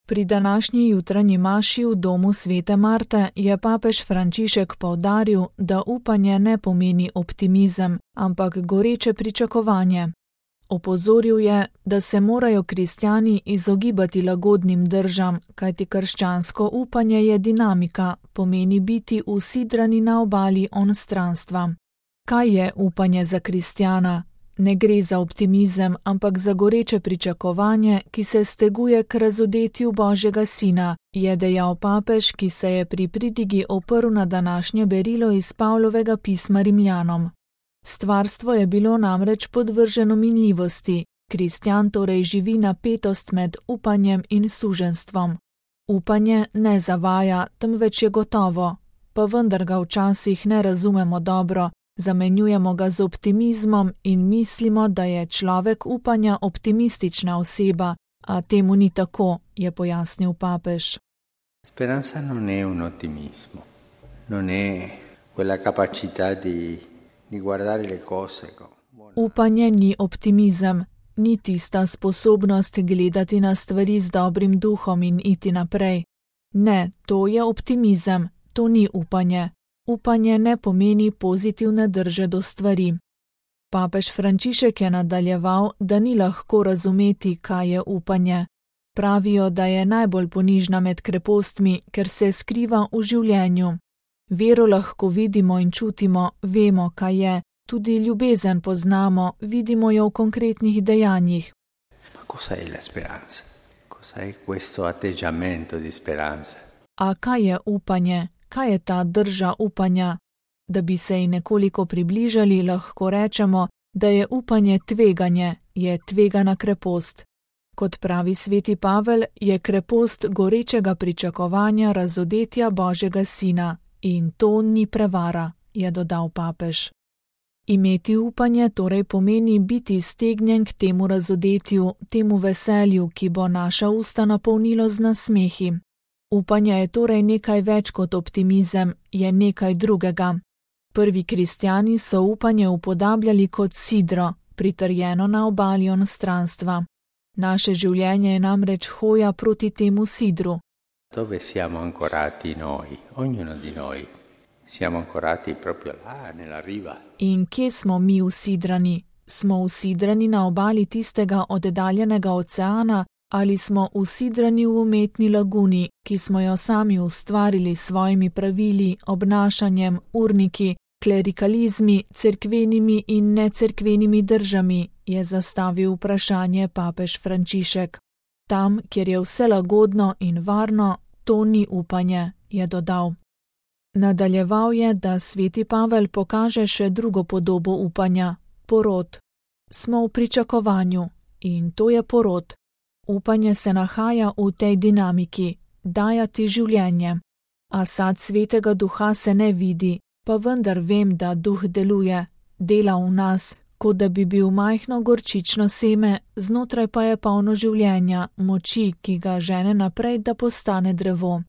Pri današnji jutranji maši v domu svete Marte je papež Frančišek poudaril, da upanje ne pomeni optimizem, ampak goreče pričakovanje. Opozoril je, da se morajo kristjani izogibati lagodnim držam, kajti krščansko upanje je dinamika, pomeni biti usidrani na obali onstranstva. Kaj je upanje za kristjana? Ne gre za optimizem, ampak za goreče pričakovanje, ki se steguje k razodetju Božjega Sina, je dejal papež, ki se je pri pridigi oprl na današnje berilo iz Pavlovega pisma Rimljanom. Stvarstvo je bilo namreč podvrženo minljivosti, kristjan torej živi napetost med upanjem in suženjstvom. Upanje ne zavaja, temveč je gotovo, pa vendar ga včasih ne razumemo dobro, zamenjujemo ga z optimizmom in mislimo, da je človek upanja optimistična oseba, a temu ni tako, je pojasnil papež. Speranza non è un ottimismo, non è quella capacità di guardare le cose. Upanje ni optimizem, ni tista sposobnost gledati na stvari z dobrim duhom in iti naprej. Ne, to je optimizem, to ni upanje. Upanje ne pomeni pozitivne drže do stvari. Papež Frančišek je nadaljeval, da ni lahko razumeti, kaj je upanje. Pravijo, da je najbolj ponižna med krepostmi, ker se skriva v življenju. Vero lahko vidimo in čutimo, vemo, kaj je, tudi ljubezen poznamo, vidimo jo v konkretnih dejanjih. Cosa è la speranza? Cosa è questo atteggiamento di speranza? A kaj je upanje? Kaj je ta drža upanja? Da bi se ji nekoliko približali, lahko rečemo, da je upanje tveganje, je tvegana krepost. Kot pravi sveti Pavel, je krepost gorečega pričakovanja razodetja Božjega Sina in to ni prevara, je dodal papež. Imeti upanje torej pomeni biti stegnjen k temu razodetju, temu veselju, ki bo naša usta napolnilo z nasmehi. Upanje je torej nekaj več kot optimizem, je nekaj drugega. Prvi kristjani so upanje upodabljali kot sidro, pritrjeno na obali onstranstva. Naše življenje je namreč hoja proti temu sidru. Dove siamo ancorati noi, ognuno di noi? Siamo ancorati proprio là, nella riva. In kje smo mi usidrani? Smo usidrani na obali tistega oddaljenega oceana, ali smo usidrani v umetni laguni, ki smo jo sami ustvarili s svojimi pravili, obnašanjem, urniki, klerikalizmi, cerkvenimi in necerkvenimi držami, je zastavil vprašanje papež Frančišek. Tam, kjer je vse lagodno in varno, to ni upanje, je dodal. Nadaljeval je, da sveti Pavel pokaže še drugo podobo upanja, porod. Smo v pričakovanju in to je porod. Upanje se nahaja v tej dinamiki, dajati življenje. A sad svetega duha se ne vidi, pa vendar vem, da duh deluje, dela v nas, kot da bi bil majhno gorčično seme, znotraj pa je polno življenja, moči, ki ga žene naprej, da postane drevo.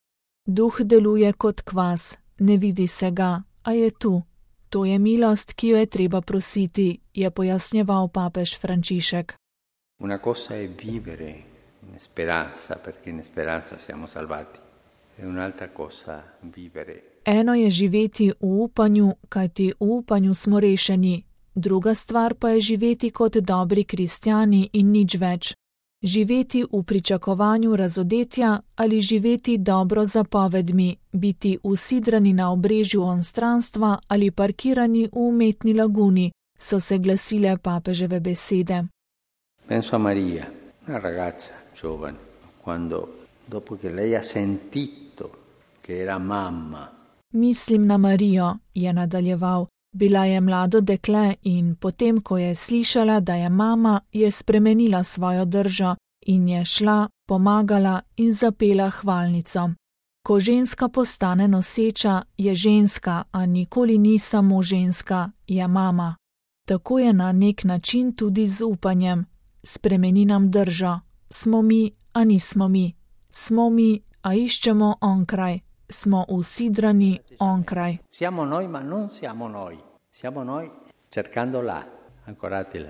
Duh deluje kot kvas, ne vidi se ga, a je tu. To je milost, ki jo je treba prositi, je pojasnjeval papež Frančišek. Una cosa è vivere in speranza, perché in speranza siamo salvati. E un'altra cosa vivere. Eno je živeti v upanju, kajti v upanju smo rešeni. Druga stvar pa je živeti kot dobri kristjani in nič več. Živeti v pričakovanju razodetja ali živeti dobro z zapovedmi, biti usidrani na obrežju onstranstva ali parkirani v umetni laguni, so se glasile papeževe besede. Penso a Maria, una ragazza giovane, quando dopo che lei ha sentito che era mamma. Mislim na Marijo, je nadaljeval. Bila je mlado dekle in potem, ko je slišala, da je mama, je spremenila svojo držo in je šla, pomagala in zapela hvalnico. Ko ženska postane noseča, je ženska, a nikoli ni samo ženska, je mama. Tako je na nek način tudi z upanjem. Spremeni nam držo. Smo mi, a nismo mi. Smo mi, a iščemo onkraj. Smo usidrani onkraj. Siamo noi, ma non siamo noi. Siamo noi cercando là, ancorati là.